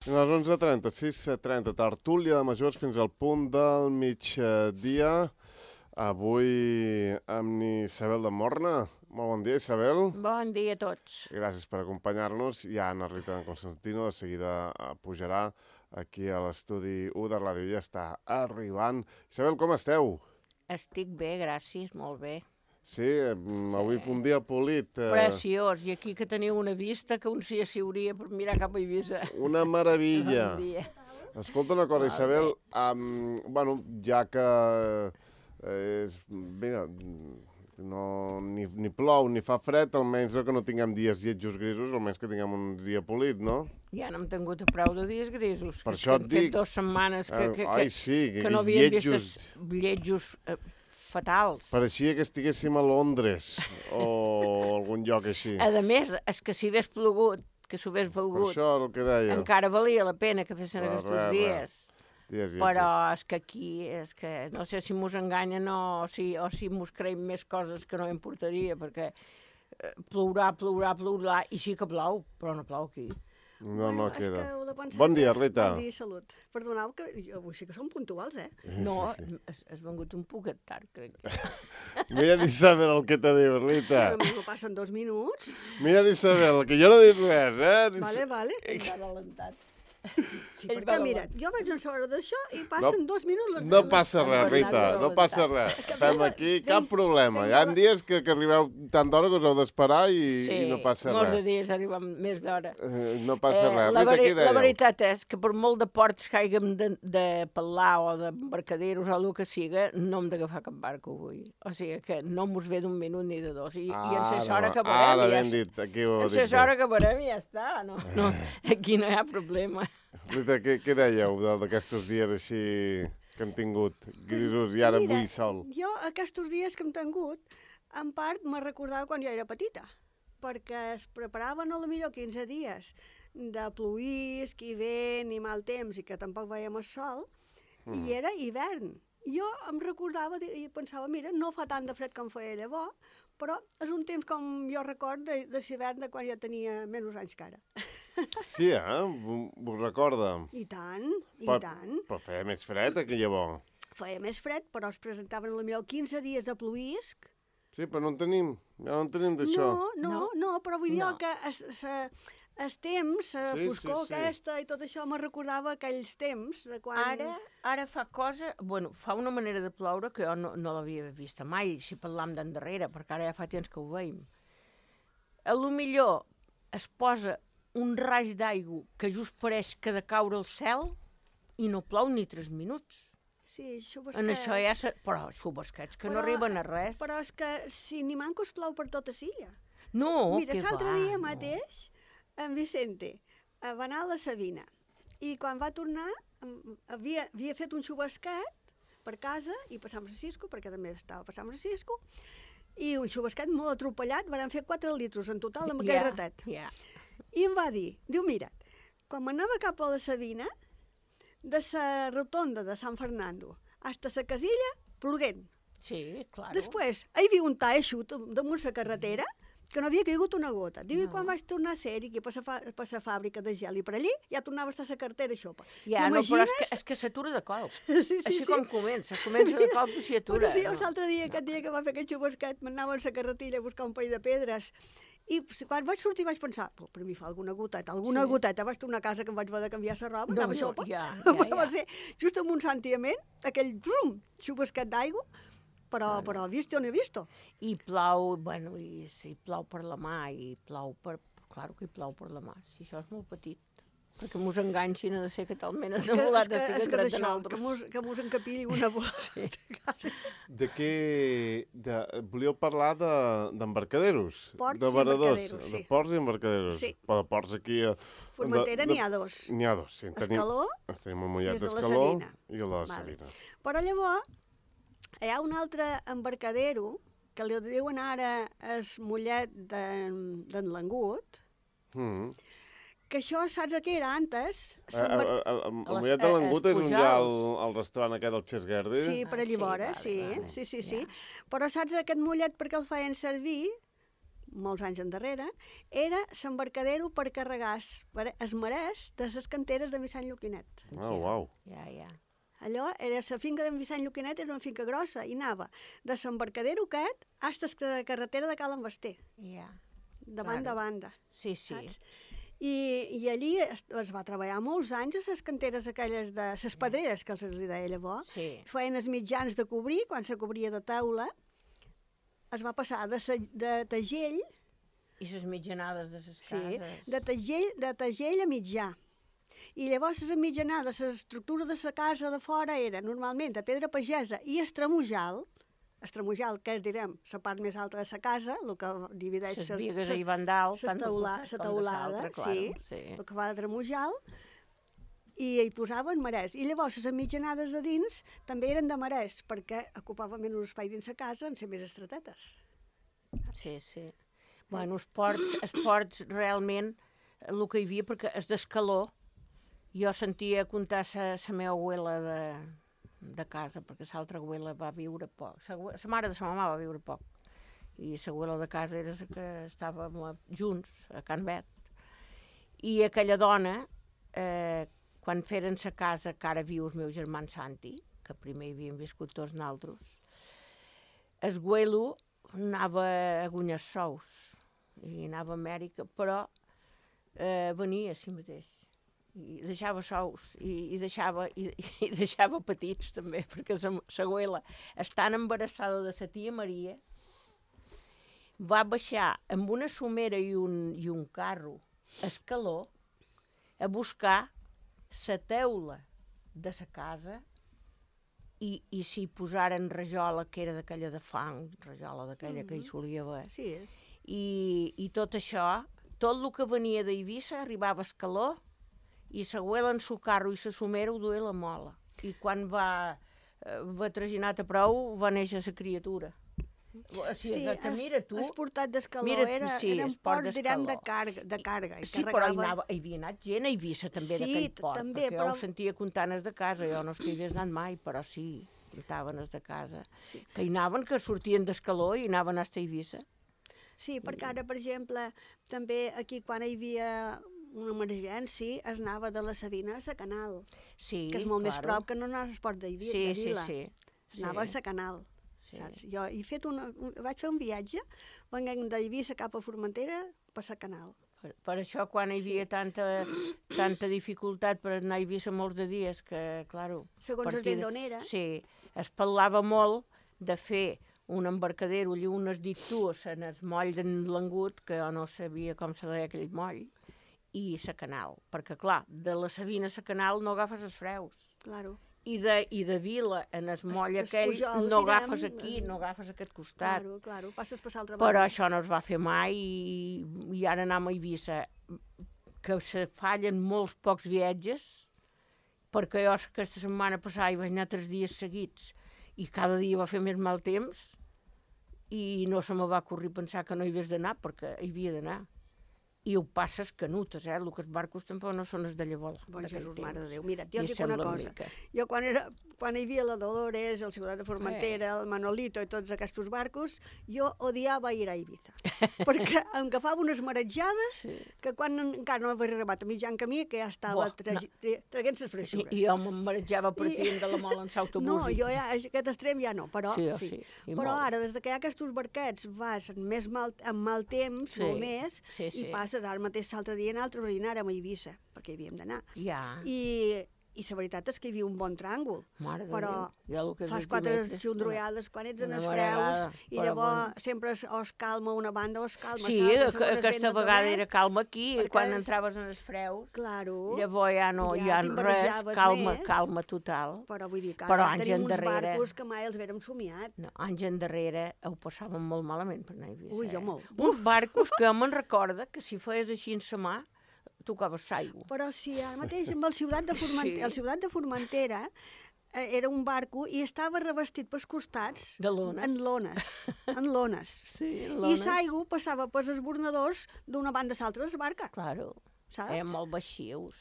A les 11:30, 6:30, tertúlia de majors fins al punt del migdia. Avui amb Isabel de Morna. Molt bon dia, Isabel. Bon dia a tots. Gràcies per acompanyar-nos. I Anna Rita de Constantino de seguida pujarà aquí a l'estudi 1 de ràdio. Ja està arribant. Isabel, com esteu? Estic bé, gràcies, molt bé. Sí, avui un dia polit. Preciós. I aquí que teniu una vista que un s'hi asseuria per mirar cap a Eivissa. Una meravella. Bon dia. Escolta una cosa, Isabel. Bueno, ja que mira, ni plou ni fa fred, almenys que no tinguem dies lletjos grisos, almenys que tinguem un dia polit, no? Ja no hem tingut a prou de dies grisos. Per això et dic... Hem fet 2 setmanes que no havíem lletjos... vist lletjos fatals. Pareixia que estiguéssim a Londres o algun lloc així. A més, és que si hagués plogut, que s'ho hagués Per valgut, això el que deia. encara valia la pena que fessin aquests dies. Dies Però és que aquí, no sé si mos enganyen o si mos creiem més coses que no importaria, perquè plourà, i sí que plou, però no plou aquí. No És queda. que heu de pensar Bon dia, que- Rita. Bon dia, salut. Perdoneu, que avui sí que som puntuals, eh? No, Sí. has vengut un poquet tard, crec. Mira, Isabel, el que t'ha dit, Rita. Però no passen 2 minuts. Mira, Isabel, que jo no he dit res, eh? Vale. Ell va adelantat. Sí, Ell perquè va mira, adelantat. jo vaig a saber d'això i passen 2 minuts. No passa res, Bernat Rita, és no passa res. que Estem vinga, aquí, vinga, cap problema. Hi ha dies que arribeu tant d'hora que us heu d'esperar i no passa molts res. dies arribem més d'hora. No passa res. La Rita, què la dèieu? veritat és que per molt de ports que haguem de pelar o d'embarcaderos o el que siga, no hem d'agafar cap barco avui. O sigui que no mos ve d'un minut ni de dos. I en ses hora que Ara veurem, ben dit, aquí ho heu en dit ses bé. hora que veurem ja està. No, aquí no hi ha problema. Rita, què dèieu d'aquests dies així que hem tingut grisos i ara Mira, avui sol? Jo aquests dies que hem tingut, en part me recordava quan jo era petita, perquè es preparaven a lo millor 15 dies de pluïsc i vent i mal temps i que tampoc veiem el sol, i era hivern. Jo em recordava i pensava, mira, no fa tant de fred com feia llavors, però és un temps com jo record de l'hivern de quan jo tenia menys anys que ara. Sí, Vos recorda? I tant, i Però- tant. Però feia més fred que llavors. Feia més fred, però es presentaven potser 15 dies de pluïsc. Sí, però no en tenim. Ja no en tenim d'això. No, però vull dir No. que el temps, la Sí, foscor sí. aquesta i tot això me recordava aquells temps de quan... Ara fa cosa... Bueno, fa una manera de ploure que jo no l'havia vista mai, si parlam d'endarrere, perquè ara ja fa temps que ho veiem. A lo millor es posa un raig d'aigua que just pareix que de caure al cel i no plou ni 3 minuts. Sí, xubasquets. En això ja... Però xubasquets que no arriben a res. Però és que si ni manco es plou per tota silla. No, Mira, que l'altre va, dia no. mateix, en Vicente va anar a la Sabina i quan va tornar havia fet un xubasquet per casa i per Sant Francisco, perquè també estava per Sant Francisco, i un xubasquet molt atropellat, van fer 4 litros en total amb aquell ratet. Ja. I em va dir, mira, quan m'anava cap a la Sabina, de la rotonda de Sant Fernando hasta la casilla, ploguent. Sí, clar. Després, hi havia un tall eixut damunt la carretera que no havia caigut una gota. Diu, i quan vaig tornar a ser aquí per la fàbrica de gel i per allí, ja tornava a estar la cartera xopa. Ja, no, però és que s'atura de colp. Sí, Així com comença de colp i s'hi atura. Però sí, l'altre dia, aquest dia que va fer aquest xubasquet, m'anava a la carretilla a buscar un parell de pedres i quan vaig sortir vaig pensar, per mi fa alguna goteta, vaig tornar a casa que em vaig haver de canviar la roba, anava xopa. Però va ser just amb un sentiment, aquell xubasquet d'aigua, però visto o no visto. I plou, bueno, i si plou per la mà, i plou per... Claro que hi plou per la mà, si això és molt petit. Perquè mos enganxin a de ser que talment has volat de ser que dret de nosaltres. Que mos encapilli una bola. De què... Volíeu parlar d'embarcaderos? Ports de i varadors, embarcaderos, de sí. ports i embarcaderos. Sí. Però de ports aquí... Formentera n'hi ha 2. N'hi ha 2, sí. Escaló tenim el Mollet i el de la d'Escaló Salina. i el de la Vale. Salina. Però llavors hi ha un altre embarcadero que li diuen ara el Mollet d'en Langut, que això saps què era antes? El Mollet de Langut és on hi ha el restaurant aquest del Xes Guerdi? Sí, per allí vora, sí. Però saps aquest mollet per què el feien servir? molts anys endarrere, era l'embarcadero per carregar es marès de les canteres de Vicent Lluquinet. Uau. Ja. Allò, la finca de Vicent Lluquinet era una finca grossa i anava de l'embarcadero aquest fins a la carretera de Cal Basté, de banda a banda. Sí. Saps? I allí es va treballar molts anys a les canteres aquelles de les pedreres, que els li deia llavors. Sí. Feien els mitjans de cobrir, quan se cobria de taula, es va passar de tagell, I les mitjanades de les sí, cases. de tagell a mitjà. I llavors les mitjanades, l'estructura de la casa de fora era normalment de pedra pagesa i estramujal, que és, direm, la part més alta de la casa, el que divideix... Les bigues hi van dalt, la teulada, sí, el que fa de tramujal, i hi posaven marès. I llavors les mitjanades de dins també eren de marès, perquè ocupaven menys espai dins la casa en ser més estretetes. Sí. Bueno, esports realment, el que hi havia, perquè és d'escaló, jo sentia contar la meva abuela de casa, perquè l'altra abuela va viure poc. La mare de la mama va viure poc. I l'abuela de casa era la que estàvem junts, a Can Bet. I aquella dona, quan feren la casa que ara viu el meu germà Santi, que primer hi havíem viscut tots nosaltres, el güelo anava a guanyar sous i anava a Amèrica, però venia a si mateix. I deixava sous i deixava petits també, perquè la güela, estant embarassada de la tia Maria, va baixar amb una somera i un carro escaló a buscar la teula de la casa i s'hi posaren rajola, que era d'aquella de fang, rajola d'aquella que hi solia haver. Sí. I tot això, tot el que venia d'Eivissa arribava a Escaló i l'abuela en el carro i la somera ho duia la mola. I quan va traginat a prou, va néixer la criatura. O sigui, que mira tu... el portat d'Escaló eren ports, direm, de càrrega. Sí, però hi havia anat gent a Eivissa també d'aquell port, perquè jo ho sentia comptant els de casa, jo no és que hi hagués anat mai, però sí, comptaven els de casa, que hi anaven, que sortien d'Escaló i anaven a Eivissa. Sí, perquè ara, per exemple, també aquí quan hi havia una emergència es anava de la Sabina a la Canal, que és molt més prop que no anar a l'esport de Vila. Anava a la Canal. Saps? Jo vaig fer un viatge, venint d'Eivissa cap a Formentera per la Canal. Per això, quan hi havia tanta dificultat per anar a Eivissa molts de dies, que, claro... Segons el vent d'on era. Sí, es parlava molt de fer un embarcadero i unes dictues en el moll d'en Langut, que jo no sabia com se deia aquell moll, i la Canal. Perquè, clar, de la Sabina a la Canal no agafes els freus. Claro. I de Vila, en el moll aquell, no agafes aquí, no agafes aquest costat. Claro, passes per l'altra banda. Però això no es va fer mai i ara anem a Eivissa, que se fallen molts pocs viatges, perquè jo aquesta setmana passada hi vaig anar 3 dies seguits i cada dia va fer més mal temps i no se me va ocorrir pensar que no hi havies d'anar, perquè hi havia d'anar. I ho passes canutes, el que els barcos tampoc no són els de llavors. Bon Jesús, mare de Déu. Mira, jo et dic una cosa. Jo quan hi havia la Dolores, el Ciutat de Formentera, el Manolito i tots aquests barcos, jo odiava ir a Eivissa. Perquè em agafava unes marejades que quan encara no havia arribat a mitjan camí, que ja estava traient les freixures. I jo me'n marejava partint de la mola en l'autobús. No, jo ja, aquest extrem ja no, però sí. Però ara, des que hi ha aquests barquets, vas amb mal temps, molt més, i passes. Ara mateix l'altre dia anàrem a Eivissa, perquè hi havíem d'anar. I la veritat és que hi havia un bon tràngol. Però fas 4 xundroiades quan ets en els freus i llavors sempre es calma una banda o es calma l'altra. Sí, aquesta vegada era calma aquí, quan entraves en els freus. Llavors ja no hi ha res, calma total. Però vull dir que ara tenim uns barcos que mai els haguérem somiat. Anys endarrere ho passàvem molt malament per anar a Eivissa. Ui, jo molt. Uns barcos que me'n recorda que si feies així en sa mà, tocaves l'aigua. Però sí, ara mateix amb el Ciutat de Formentera era un barco i estava revestit pels costats en lones. I l'aigua passava pels esbornadors d'una banda a l'altra de la barca. Claro, eren molt baixius.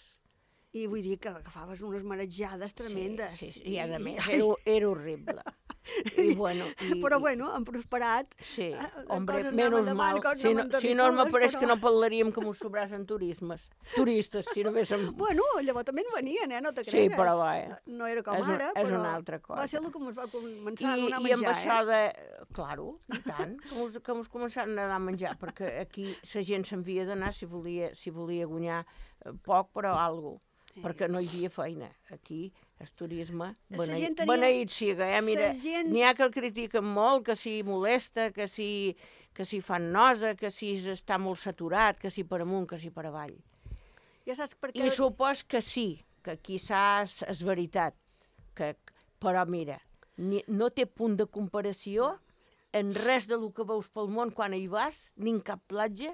I vull dir que agafaves unes marejades tremendes. I a més era horrible. I, bueno, Però, bueno, han prosperat. Sí, les hombre, coses menos anaven mal. endavant, coses Si no, anaven si no me terribles, pareix però- que no parlaríem que mos sobrasen turistes, si no haguéssim... Bueno, llavors també en venien, no te Sí, cregues. però va, No era com és ara, és però una altra cosa. va ser el que ens va començar a I donar amb menjar, això de... Claro, i tant, que mos començaran a donar menjar, perquè aquí la gent s'havia d'anar si volia guanyar poc, però alguna cosa, perquè no hi havia feina. Aquí el turisme, beneït siga, mira, n'hi ha que el critiquen molt, que si molesta, que si fan nosa, que si està molt saturat, que si per amunt, que si per avall. Ja saps per què... I supos que sí, que quizás és veritat, però mira, no té punt de comparació en res del que veus pel món quan hi vas, ni en cap platja,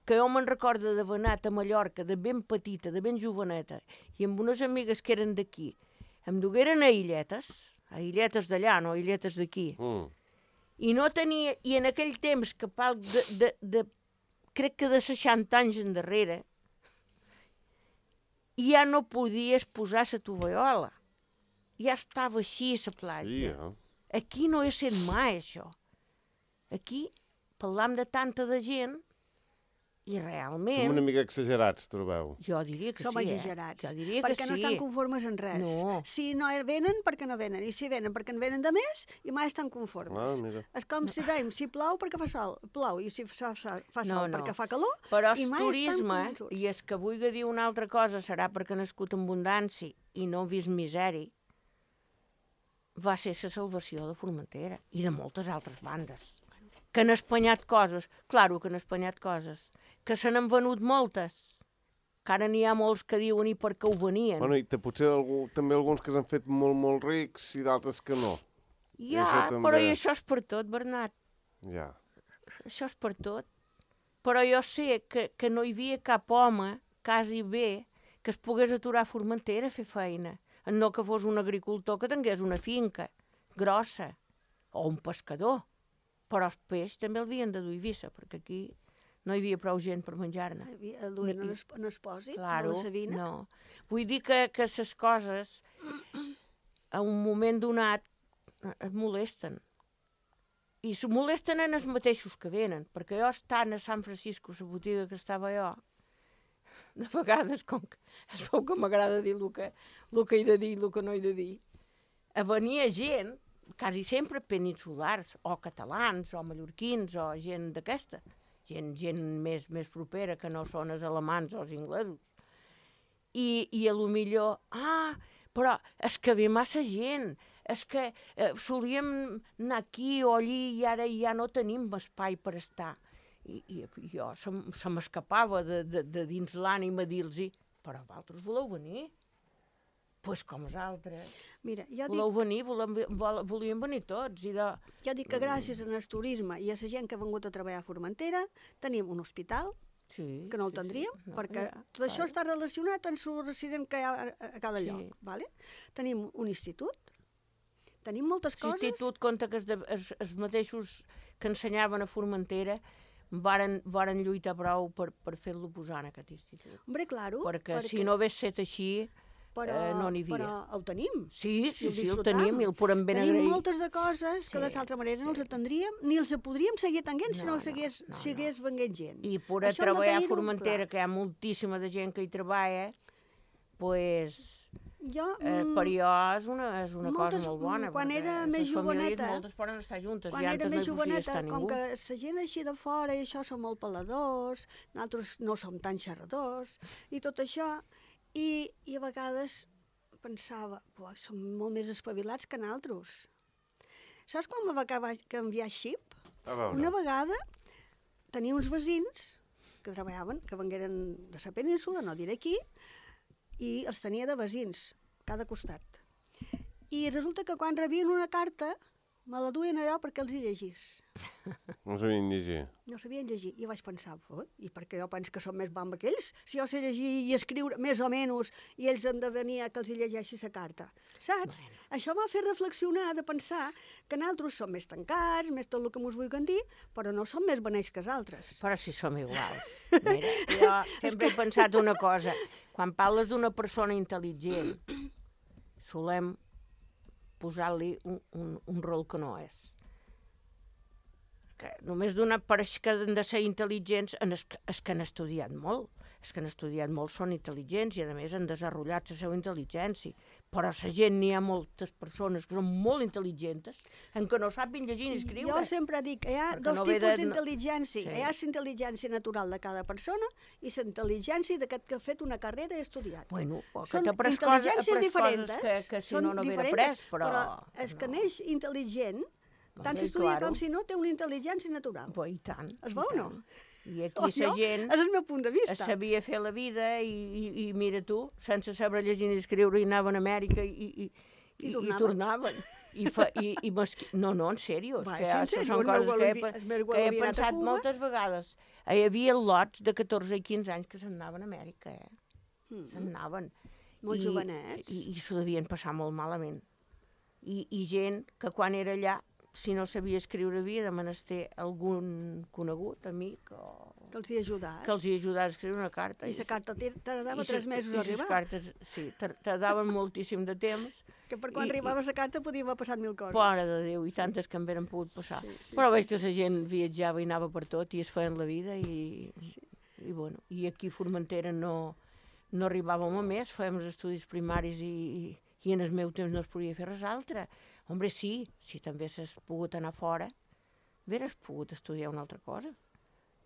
que jo me'n recordo d'haver anat a Mallorca de ben petita, de ben joveneta, i amb unes amigues que eren d'aquí, em dugueren a illetes d'allà, no a illetes d'aquí. I no tenia, i en aquell temps, que crec que de 60 anys endarrere, ja no podies posar la tovallola. Ja estava així a la platja. Aquí no he sent mai, això. Aquí parlam de tanta de gent i realment... Som una mica exagerats, trobeu? Jo diria que Som sí, exagerats, Jo diria perquè que no sí. estan conformes en res. No. Si no venen, perquè no venen. I si venen, perquè en venen de més, i mai estan conformes. Mira. És com si dèiem, si plou, perquè fa sol, plou, i si fa sol, perquè fa calor, però i el mai turisme, estan convençuts. i és que vulgui dir una altra cosa, serà perquè ha nascut en abundància i no ha vist misèria, va ser la salvació de Formentera i de moltes altres bandes. Que han espanyat coses, claro que han espanyat coses, que se n'han venut moltes, que ara n'hi ha molts que diuen i per què ho venien. Bueno, i potser també alguns que s'han fet molt, molt rics i d'altres que no. Ja, però i això és per tot, Bernat. Ja. Això és per tot. Però jo sé que no hi havia cap home, quasi bé, que es pogués aturar a Formentera a fer feina. No que fos un agricultor que tingués una finca grossa, o un pescador. Però el peix també el havien de dur a Eivissa, perquè aquí no hi havia prou gent per menjar-ne. El duien en el pòsit, Claro, a la Sabina. no. Vull dir que les coses, a un moment donat, et molesten. I se molesten en els mateixos que venen, perquè jo estant a Sant Francisco, la botiga que estava jo, de vegades, com que es veu que m'agrada dir el que he de dir i el que no he de dir, venia gent, quasi sempre peninsulars, o catalans, o mallorquins, o gent d'aquesta, gent més propera que no són els alemans o els inglesos. I a lo millor, però és que ve massa gent, és que solíem anar aquí o allí i ara ja no tenim espai per estar. I jo se m'escapava de dins l'ànima dir-los, però vosaltres voleu venir? Doncs com els altres. Mira, voleu venir, volíem venir tots. Jo dic que gràcies al turisme i a la gent que ha vingut a treballar a Formentera tenim un hospital, que no el tindríem, perquè tot això està relacionat amb el resident que hi ha a cada lloc. Vale? Tenim un institut, tenim moltes coses... L'institut compta que els mateixos que ensenyaven a Formentera varen lluitar prou per fer-lo posar en aquest institut. Hombre, claro. Perquè si no hagués set així, no n'hi havia. Però el tenim. Sí, el tenim i el podem ben agrair. Tenim moltes de coses que de l'altra manera no els atendríem, ni els podríem seguir tenint si no seguís venint gent. I poder treballar a Formentera, que hi ha moltíssima de gent que hi treballa, doncs... per jo és una cosa molt bona. Quan era més joveneta, moltes poden estar juntes, com que la gent així de fora i això som molt peladors, nosaltres no som tan xerradors, i tot això, i a vegades pensava, som molt més espavilats que nosaltres. Saps quan me va canviar xip? Una vegada tenia uns veïns que treballaven, que vengueren de la península, no diré aquí, i els tenia de veïns, cada costat. I resulta que quan rebien una carta, me la duien allò perquè els hi llegís. No sabien llegir. No sabien llegir. I vaig pensar, i per què jo penso que som més bamba que ells? Si jo sé llegir i escriure més o menys, i ells han de venir a que els hi llegeixi la carta. Saps? Bueno. Això m'ha fet reflexionar, de pensar que nosaltres som més tancats, més tot el que mos vulguin dir, però no som més beneix que els altres. Però si som iguals. Mira, jo sempre he pensat una cosa. Quan parles d'una persona intel·ligent, solem posar-li un rol que no és. Que només donar per això que han de ser intel·ligents és que han estudiat molt. És que han estudiat molt, són intel·ligents i a més han desenvolupat la seva intel·ligència. Però la gent, n'hi ha moltes persones que són molt intel·ligents en què no saben llegir ni escriure. Jo sempre dic que hi ha dos tipus d'intel·ligència. Hi ha la intel·ligència natural de cada persona i la intel·ligència d'aquest que ha fet una carrera i ha estudiat. Bueno, són intel·ligències diferents, que si no haguera après, però és que neix intel·ligent, tant si estudia com si no, té una intel·ligència natural. I tant. Es veu o no? I aquí la gent és el meu punt de vista. sabia fer la vida i mira tu, sense saber llegir ni escriure, i anaven a Amèrica i tornaven. No, en sèrio. Són coses que he pensat moltes vegades. Hi havia lots de 14 i 15 anys que se'n anaven a Amèrica, se'n anaven. Molt jovenets. I s'ho devien passar molt malament. I gent que quan era allà, si no sabia escriure, havia de menester algun conegut, amic, que els hi ajudés. Que els hi ajudés a escriure una carta. I la carta tardava 3 mesos a arribar. I les cartes, sí, tardaven moltíssim de temps. Que per quan arribava la carta podia haver passat 1000 coses. Mare de Déu, i tantes que en veren pogut passar. Però veig que la gent viatjava i anava per tot i es feien la vida i bueno, i aquí a Formentera no arribàvem a més, fèiem els estudis primaris i en el meu temps no es podia fer res altre. Hombre, sí, si també s'has pogut anar fora, hauries pogut estudiar una altra cosa.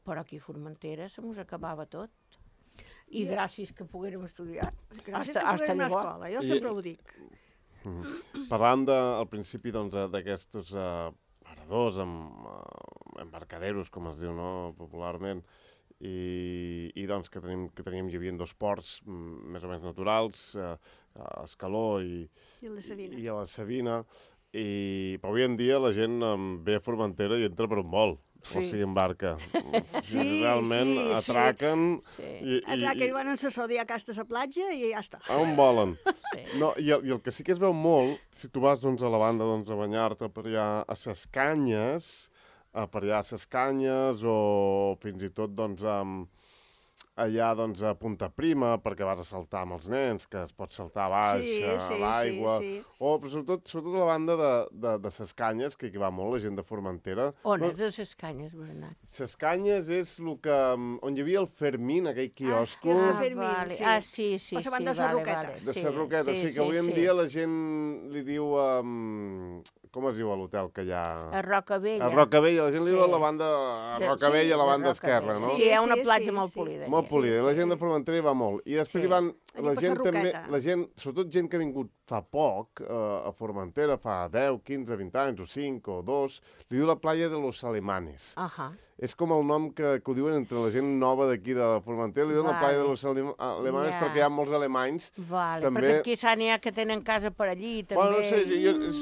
Però aquí a Formentera se mos acabava tot. I gràcies que poguérem estudiar. Gràcies que poguérem anar a escola, jo sempre ho dic. Parlant al principi d'aquests paradors, embarcaderos, com es diu popularment, i doncs que teníem, hi havia 2 ports més o menys naturals, a Escaló i a la Savina, però avui en dia la gent ve a Formentera i entra per un vol, o sigui, en barca. Realment atraquen... Atraquen i van en la sodia a casa a la platja i ja està. On volen. I el que sí que es veu molt, si tu vas a la banda a banyar-te per allà a les canyes, per allà a les canyes o fins i tot allà a Punta Prima perquè vas a saltar amb els nens, que es pot saltar a baix, a l'aigua, o sobretot a la banda de les canyes, que hi va molt la gent de Formentera. On és a les canyes, Bernat? Les canyes és on hi havia el Fermín, aquell quiosco. Sí, a la banda de la Roqueta. De la Roqueta, sí, que avui en dia la gent li diu... Com es diu a l'hotel que hi ha? A Rocavella. A Rocavella, la gent li diu a la banda... A Rocavella, a la banda esquerra, no? Sí, hi ha una platja molt polida. Molt polida, la gent de Formentera hi va molt. I després hi van... La gent també, sobretot gent que ha vingut fa poc a Formentera, fa 10, 15, 20 anys, o 5, o 2, li diu la playa de los Alemanes. És com el nom que ho diuen entre la gent nova d'aquí de Formentera, li diuen la playa de los Alemanes perquè hi ha molts alemanys. Perquè quizà n'hi ha que tenen casa per allí, també. Bueno, no sé,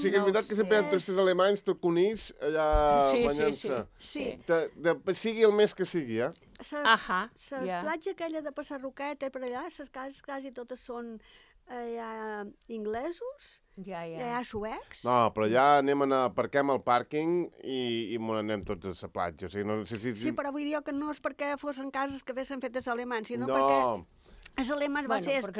sí que és veritat que sempre hi ha turistes alemanys, turconís, allà banyant-se. Sí. Sigui el mes que sigui, La platja aquella de Passar Roqueta per allà, les cases quasi totes són inglesos, ja suecs. No, però allà aparquem al pàrquing i anem tots a la platja. Sí, però vull dir que no és perquè fossin cases que haguessin fetes alemans, sinó perquè... Els alemans va ser el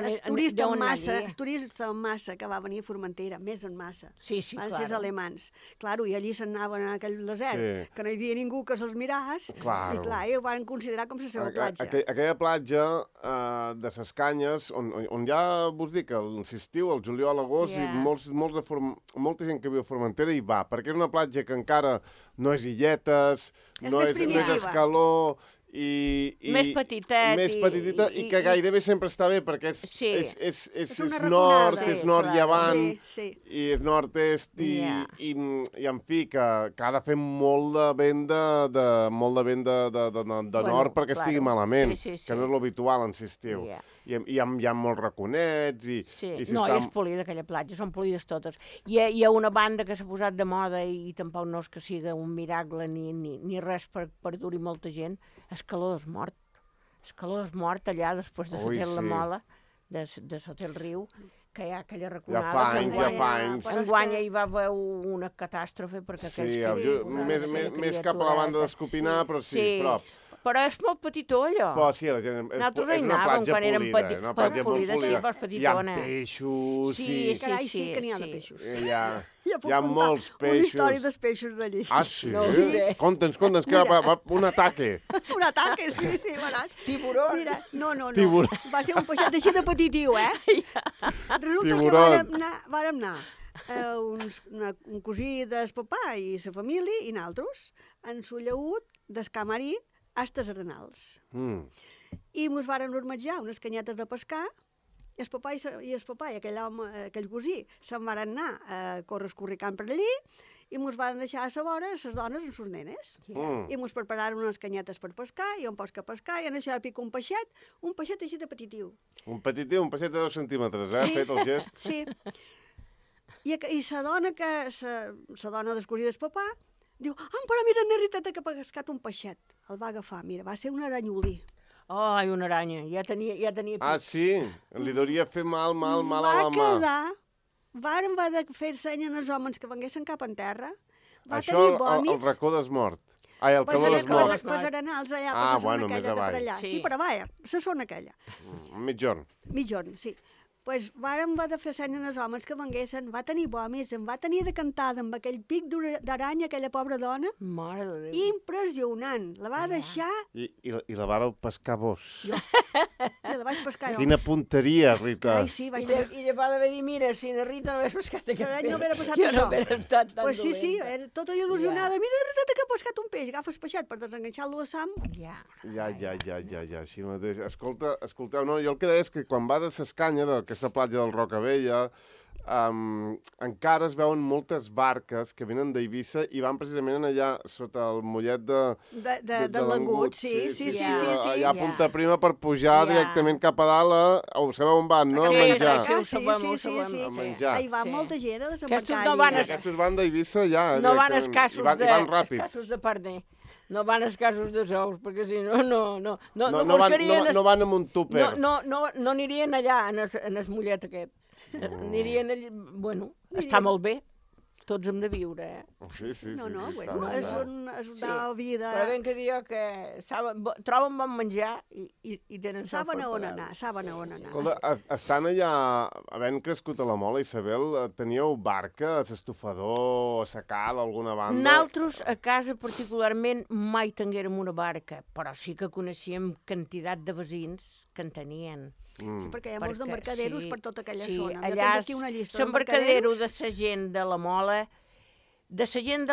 turista en massa que va venir a Formentera, més en massa. Van ser els alemans. Claro, i allí s'anaven a aquell desert, que no hi havia ningú que se'ls miràs, i clar, ho van considerar com la seva platja. Aquella platja de les Canyes, on ja vos dic, l'estiu, el juliol, l'agost, i molta gent que viu a Formentera hi va, perquè és una platja que encara no és illetes, no és escaló... Més petiteta i que gairebé sempre està bé perquè és nord, és nord i avant i és nord-est i en fi que ha de fer molt de vent de nord perquè estigui malament, que no és l'habitual en l'estiu. I hi ha molts raconets no, és polida aquella platja, són polides totes. Hi ha una banda que s'ha posat de moda i tampoc no és que sigui un miracle ni res per dur-hi molta gent. Escaló és mort. Escaló és mort allà després de Sotel la Mola, de Sotel Riu, que hi ha aquella raconada. Ja fa anys. Enguany hi va haver una catàstrofe perquè més cap a la banda d'Escopinar, però sí, prop. Però és molt petitó, allò. Però sí, la gent... Nosaltres és hi una anàvem platja quan érem polida, una platja molt polida, sí, polida. però Hi ha petitona. peixos, Sí, sí. Carai, sí sí, que n'hi ha de sí. peixos. Hi ha puc contar molts una peixos. història dels peixos d'allí. Ah, sí? No ho diré. Conta'ns, que va un ataque. Un ataque, sí, veràs. Tiburón. Mira, no. Tiburón. Va ser un peixet així de petitiu, Resulta Tiburón. que vàrem anar un cosí del papà i sa família i nosaltres en su llaüt d'escamarí hasta les Arenals. I mos varen ormetjar unes canyetes de pescar i el papà i aquell cosí se'n varen anar a córrer escorricant per allí i mos van deixar a la vora les dones amb sus nenes. I mos prepararon unes canyetes per pescar i on pots que pescar i en això pico un peixet així de petitiu. Un peixet de 2 centímetres, fet el gest. Sí. I la dona del cosí del papà diu, però mira, Nerriteta, que ha pescat un peixet. El va agafar, mira, va ser un aranyolí. Ai, una aranya, ja tenia... Ah, sí? Li hauria fer mal a la mà. Va de fer seny als homes que venguessin cap en terra. Va Això, tenir vòmits. el racó des mort. Ai, el calor des mort. Pues Arenals, allà, Ah, la zona bueno, aquella més de per avall. allà. Sí. Sí, per avall, la zona aquella. Mitjorn. Mitjorn, sí. Pues va de fer seny als homes que venguessin, va tenir vòmits, em va tenir de cantada amb aquell pic d'aranya, aquella pobra dona. Mare de Déu. Impressionant. La va deixar... I la vareu pescar vos. I la vaig pescar jo. Quina punteria, Rita. Ai, sí, vaig tenir... I va d'haver dit, mira, si na Rita no hagués pescat aquest L'any peix, no haguera passat jo no això. haguera estat tan Pues sí, dolenta. era tota il·lusionada. Mira, Rita, que ha pescat un peix. Agafa el peixet per desenganxar-lo a Sam. Ja. Ja, així mateix. Escolteu, no, jo el que deia és que quan vas a ses canyes, a aquesta platja del Rocavella, encara es veuen moltes barques que venen d'Eivissa i van precisament allà sota el mollet De l'engut, sí. Allà a Punta Prima per pujar directament cap a dalt sabeu on van, no? A Sí, menjar. Sí. A menjar. Hi va molta gent a desembarcar. Aquests no van allí. Aquests van d'Eivissa ja. No van directament. escassos I van ràpid. de parner. No van escassos de sous, perquè si no No buscarien... van amb un túper. No anirien allà, en el mollet aquest. Anirien allà... Bueno, està molt bé. Tots hem de viure, Sí. Bueno, és una vida... Però ben que diu que troben bon menjar i tenen sort per pagar. Saben on anar. Escolta, estan allà, havent crescut a la Mola, Isabel, teníeu barca, a s'estofador, a Sacal, a alguna banda? Nosaltres, a casa particularment, mai tinguérem una barca, però sí que coneixíem quantitat de veïns que en tenien. Sí, perquè hi ha molts d'embarcaderos per tota aquella zona. Allà, aquí una llista l'embarcadero de la gent de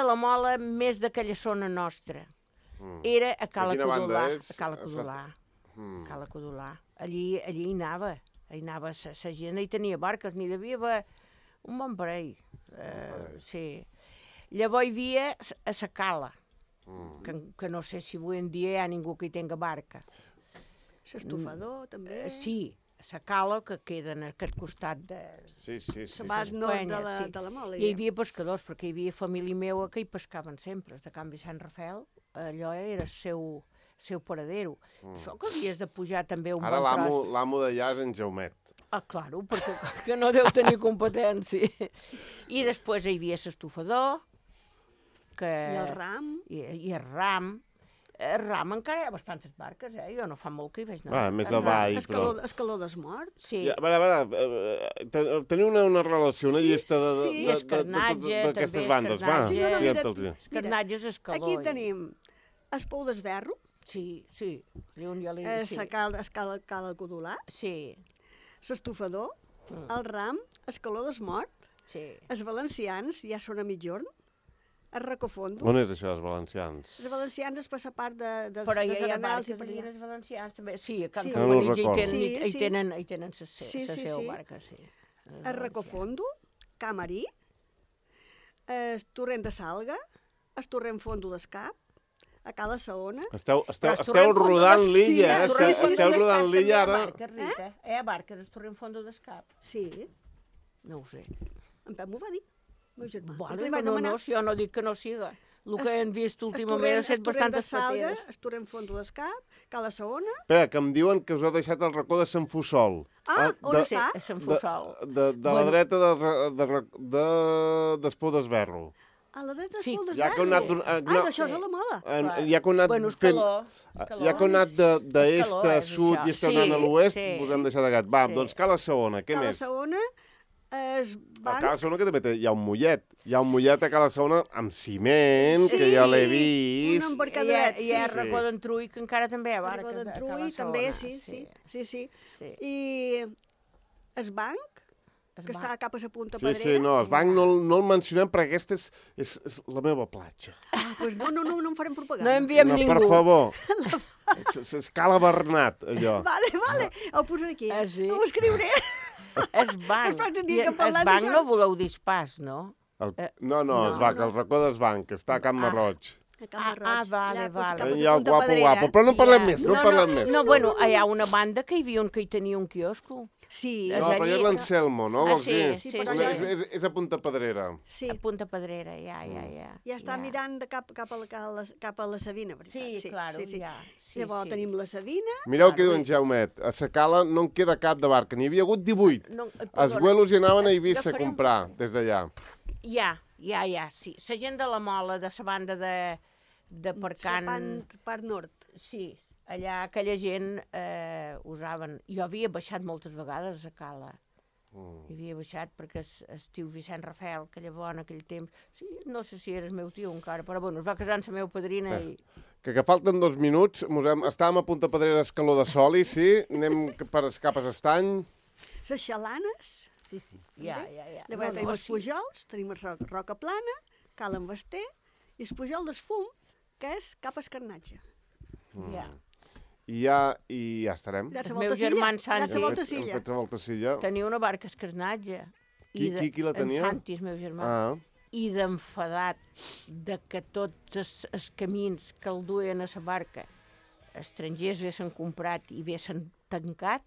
la Mola, més d'aquella zona nostra. Era a Cala Codolà. Allí hi anava la gent, hi tenia barques, n'hi devia haver un bon parell. Sí. Llavors hi havia a la Cala, que no sé si avui en dia hi ha ningú que hi tenga barca. L'estofador, també. Sí, la Cala, que queda en aquest costat de... Sí. La base nord de la Mola. Hi havia pescadors, perquè hi havia família meva que hi pescaven sempre. De Can Vicent Rafel, allò era el seu paradero. Això que havies de pujar també un bon tros. Ara l'amo d'allà és en Jaumet. Ah, claro, perquè no deu tenir competència. I després hi havia l'estofador, I el ram. I el ram. El ram encara hi ha bastantes barques, Jo no fa molt que hi vaig anar. Més avall, però... Escaló desmort. Sí. A veure, teniu una relació, una llista d'aquestes bandes, va. Escarnatges, escaló. Aquí tenim el Pou d'Esberro. Sí. Cala Codolà. Sí. L'estofador, el ram, escaló desmort. Sí. Els valencians ja són a mitjorn. El Recofondo. On és això, els valencians? Els valencians es passa part dels Però hi ha Arenals barques allà, els valencians també. Sí, a Can No Cabanitx recordo. hi tenen la seva barca, sí. El Recofondo, Camarí, el Torrent de Salga, el Torrent Fondo d'Escap, a Cala Saona. Esteu rodant l'illa, Esteu rodant l'illa ara. Hi ha barques, el Torrent Fondo d'Escap. Sí. No ho sé. En Pep m'ho va dir, el meu germà. Jo no dic que no siga. El que hem vist últimament ha estat bastantes pateres. El Torrent Fondo d'Escap, Cala Saona. Espera, que em diuen que us heu deixat el racó de Sant Fussol. On està? A Sant Fussol. De la dreta d'Espó d'Esberro. A la dreta Sí. espoldes Ja que heu anat... d'això és a la moda. Ja que heu anat Bueno, és fent... calor. És calor. Ja que heu anat d'est calor, a és sud això. i esteu anant a l'oest, Sí. us hem deixat de gat. Va, Sí. doncs Cala Segona, què Cala més? Segona es A van... Cala Segona que també hi ha un mollet. Hi ha un mollet a Cala Segona amb ciment, que ja l'he un vist. embarcadoret, Hi ha sí. Racó d'Entrull, que encara també hi ha Racó barques. d'Entrull, també, sí. Sí. I es banc, Es que va. està cap a la punta Sí, pedrera. sí, no, el banc no el mencionem perquè aquesta és la meva platja. Ah, doncs no en farem propaganda. No enviem No, ningú. per favor. És Cala Bernat, allò. Vale, ho posaré aquí. Ah, sí? Ho escriuré. Es banc. Els pròxims I dies que es parlem banc d'això. no voleu dir pas, no? No, el banc, el racó d'Esbanc, que està a Can Marroig. A Can Marroig. vale, allà, vale. cap a la Allà, punta guapo, pedrera. guapo. Però no parlem més, no parlem més. No, bueno, hi ha una banda que hi havia un que hi tenia un quiosco. Sí, És No, però allí. és l'Anselmo, no? Ah, Vols sí, dir? sí, però sí. allò- És a Punta Pedrera. sí. A Punta Pedrera, ja. Ja està mirant de cap a la Sabina, veritat. Sí, claro, ja. Sí, Llavors sí. tenim la Sabina. Mireu què diu en Jaumet. A sa Cala no en queda cap de barca. N'hi havia hagut 18. No, Els vuelos hi anaven a Eivissa a Agafaré un- comprar, des d'allà. Ja, sí. La gent de la Mola, de la banda de Percant... Part nord. Sí, allà aquella gent usaven... Jo havia baixat moltes vegades a Cala. Hi havia baixat perquè el tio Vicent Rafel, que llavors en aquell temps... Sí, no sé si era el meu tio encara, però bueno, es va casar amb la meva padrina i... Que falten 2 minuts. Estàvem a Punta Pedrera Escaló de Soli, sí. Anem cap a l'estany. Les xalanes. Sí, ja. Llavors tenim els pujols, tenim el Roca Plana, Cal Envester, i el pujol d'Esfum, que és cap a Escarnatge. Ja. I ja estarem. Ja Els la meus volta germans silla. Ja Santi. la volta Hem silla. fet la volta silla. Tenia una barca a Escarnatge. Qui la tenia? En Santi, el meu germà. Ah, I d'enfadat de que tots els camins que el duien a la barca estrangers haguessin comprat i haguessin tancat,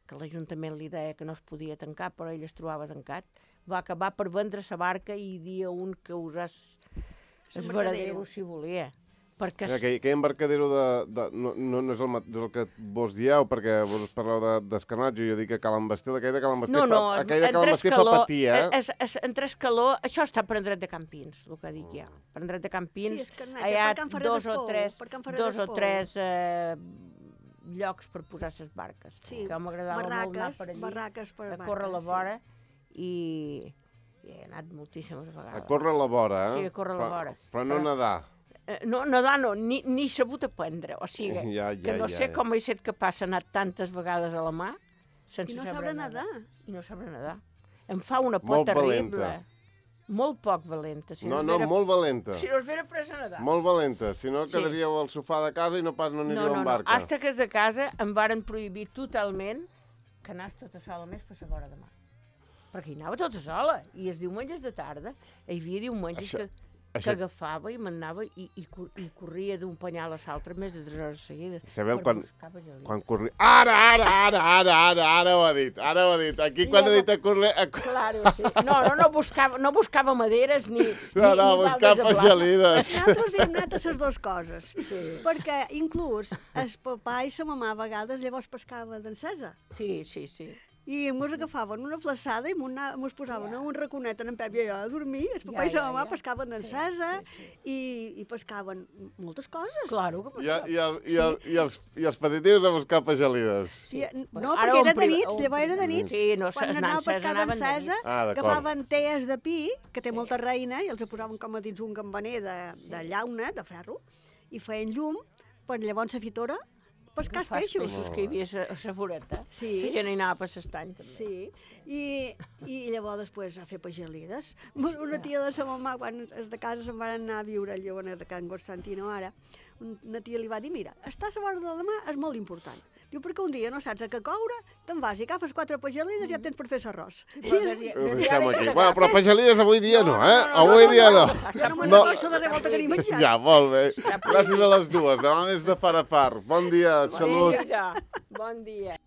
que l'Ajuntament li deia que no es podia tancar, però ell es trobava tancat, va acabar per vendre la barca i dir a un que usés el varadero si volia. Perquè aquell embarcadero no és el que vos dieu, perquè vos parleu d'Escarnatge, jo dic que Cal Envester, aquell de Cal Envester aquell de Cal Envester fa patir, entre Escaló, això està per en dret de Campins, el que dic ja. Per en dret de Campins, Sí, Escarnatge, hi ha per Can Ferrer d'Espou, dos o tres llocs per posar les barques. Sí, que m'agradava molt anar per allí, barraques per a córrer a la vora, i he anat moltíssimes A vegades. córrer a la vora, eh? Sí, a córrer a la vora. Però no nedar. No, nedar no, ni sabut aprendre, o sigui, que no sé com he estat capaç d'anar tantes vegades a la mà sense I no saber sabrà nedar. I no sabrà nedar. Em fa una por Molt terrible. valenta. Molt poc valenta. Si No, es vera- molt valenta. Si no es vera presa a nedar. Molt valenta, si no Sí. quedaríeu al sofà de casa i no pas no aniríeu en barca. Hasta que és de casa em varen prohibir totalment que anàs tota sola més per la vora de mar. Perquè hi anava tota sola. I els diumenges de tarda hi havia diumenges que agafava i m'anava i corria d'un penyal a l'altre més de 3 hores seguides. Sabeu per buscar pagelida. quan corria... Ara ho ha dit, Aquí quan ha dit a correr... Claro, sí. No buscava maderes ni buscar pagelides. Nosaltres havíem anat a les dues coses, perquè inclús el papà i la mamà a vegades llavors pescaven d'encesa. Sí. I mos agafaven una flaçada i mos posaven a un raconet en Pep i jo a dormir. El papà i la mamà pescaven d'encesa i pescaven moltes coses. Claro que pescaven. I els petitius a buscar pagelides. No, perquè era de nits, llavors era de nits. Sí, no, quan anàvem a pescar d'encesa, d'acord. agafaven tees de pi, que té molta reina, i els posaven com a dins un campaner de llauna, de ferro, i feien llum per llavors la fitora pescar els peixos. Que hi havia a la voreta. Sí. La gent hi anava per l'estany, també. Sí, i llavors després a fer pagelides. Una tia de sa mamà, quan és de casa se'n van anar a viure al Lleonet de Can Constantino ara, una tia li va dir, mira, estar a la vora de la mà és molt important. Diu, perquè un dia no saps a què coure, te'n vas i agafes 4 pagelides i ja tens per fer l'arròs. Ho deixem aquí. Bueno, però pagelides avui dia no, eh? Avui dia no. Jo no me'n recordo de revolta que ni menjat. Ja, molt bé. Gràcies a les dues. Demà més de far a far. Bon dia, salut. Bon dia.